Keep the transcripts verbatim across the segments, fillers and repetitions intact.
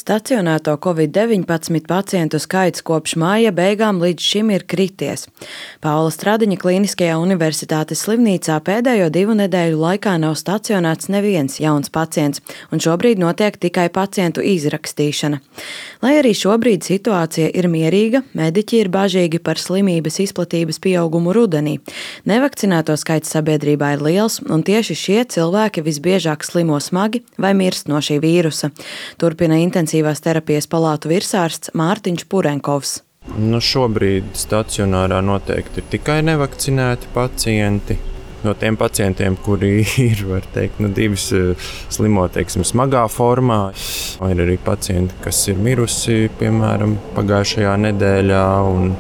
Stacionēto covid deviņpadsmit pacientu skaits kopš māja beigām līdz šim ir krities. Paula Stradiņa Kliniskajā universitātes slimnīcā pēdējo divu nedēļu laikā nav stacionēts neviens jauns pacients, un šobrīd notiek tikai pacientu izrakstīšana. Lai arī šobrīd situācija ir mierīga, mediķi ir bažīgi par slimības izplatības pieaugumu rudenī. Nevakcinēto skaits sabiedrībā ir liels, un tieši šie cilvēki visbiežāk slimo smagi vai mirst no šī vīrusa. Turpina intensīvās terapijas palātu virsārsts Mārtiņš Purenkovs. Nu, šobrīd stacionārā noteikti ir tikai nevakcinēti pacienti. No tiem pacientiem, kuri ir, var teikt, nu, divas slimo, teiksim, smagā formā. Ir arī pacienti, kas ir mirusi, piemēram, pagājušajā nedēļā. Un,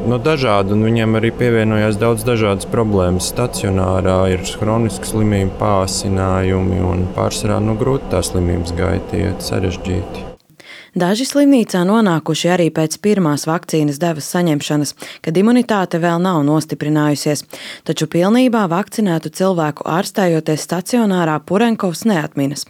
no dažādi, un viņiem arī pievienojās daudz dažādas problēmas. Stacionārā ir hroniska slimība, pāsinājumi un pārsvarā nu, grūti tā slimības gaita iet sarežģīti. Daži slimnīcā nonākuši arī pēc pirmās vakcīnas devas saņemšanas, kad imunitāte vēl nav nostiprinājusies, taču pilnībā vakcinētu cilvēku ārstējoties stacionārā Purenkovs neatminas.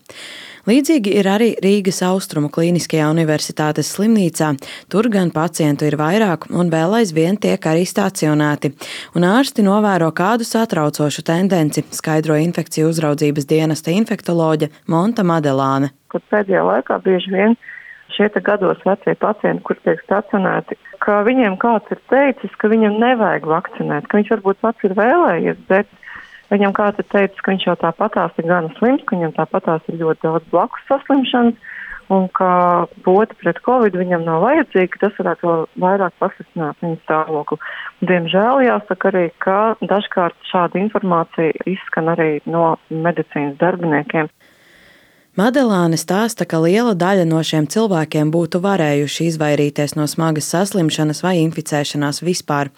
Līdzīgi ir arī Rīgas Austrumu Kliniskajā universitātes slimnīcā. Tur gan pacientu ir vairāk un vēl aizvien tiek arī stacionēti. Un ārsti novēro kādu satraucošu tendenci, skaidro infekciju uzraudzības dienesta infektoloģe Monta Madelāne. Kur pēdējā laikā bieži vien šie gados vecie pacienti, kur tiek stacionēti, ka viņiem kāds ir teicis, ka viņam nevajag vakcinēt, ka viņš varbūt pats ir vēlējies, bet viņam kāds ir teicis, ka viņš jau tāpatās ir gana slims, ka viņam tāpatās ir ļoti daudz blakus saslimšanas un ka poti pret covid viņam nav vajadzīga, tas varētu vēl vairāk pasliktināt viņa stāvokli. Diemžēl jāsaka arī, ka dažkārt šāda informācija izskan arī no medicīnas darbiniekiem. Madelāne stāsta, ka liela daļa no šiem cilvēkiem būtu varējuši izvairīties no smagas saslimšanas vai inficēšanās vispār.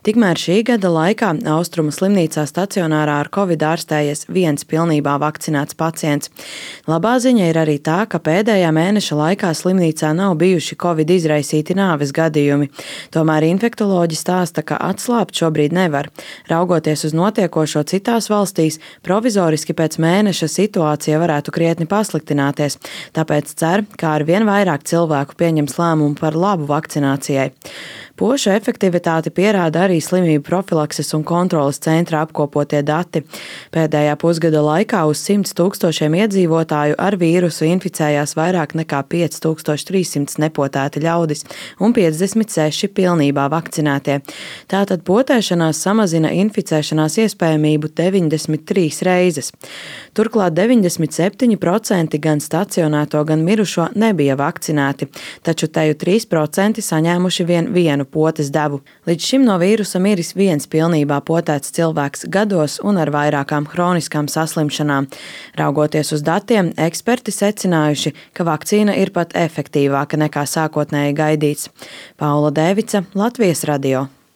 Tikmēr šī gada laikā Austrumu slimnīcā stacionārā ar covid ārstējies viens pilnībā vakcinēts pacients. Labā ziņa ir arī tā, ka pēdējā mēneša laikā slimnīcā nav bijuši covid izraisīti nāves gadījumi. Tomēr infektoloģi stāsta, ka atslābt šobrīd nevar. Raugoties uz notiekošo citās valstīs, provizoriski pēc mēneša situācija varētu krietni pasliktināties. Sliktināties, tāpēc cer, ka ar vien vairāk cilvēku pieņems lēmumu par labu vakcinācijai. Pošu efektivitāti pierāda arī slimību profilakses un kontroles centra apkopotie dati. Pēdējā pusgada laikā uz simts tūkstošiem iedzīvotāju ar vīrusu inficējās vairāk nekā pieci tūkstoši trīs simti nepotēti ļaudis un piecdesmit seši pilnībā vakcinētie. Tātad potēšanās samazina inficēšanās iespējamību deviņdesmit trīs reizes. Turklāt deviņdesmit septiņi procenti gan stacionēto, gan mirušo nebija vakcinēti, taču teju trīs procenti saņēmuši vien vienu potes devu. Līdz šim no vīrusa miris viens pilnībā potēts cilvēks gados un ar vairākām hroniskām saslimšanām. Raugoties uz datiem, eksperti secinājuši, ka vakcīna ir pat efektīvāka nekā sākotnēji gaidīts. Paula Dēvica, Latvijas radio.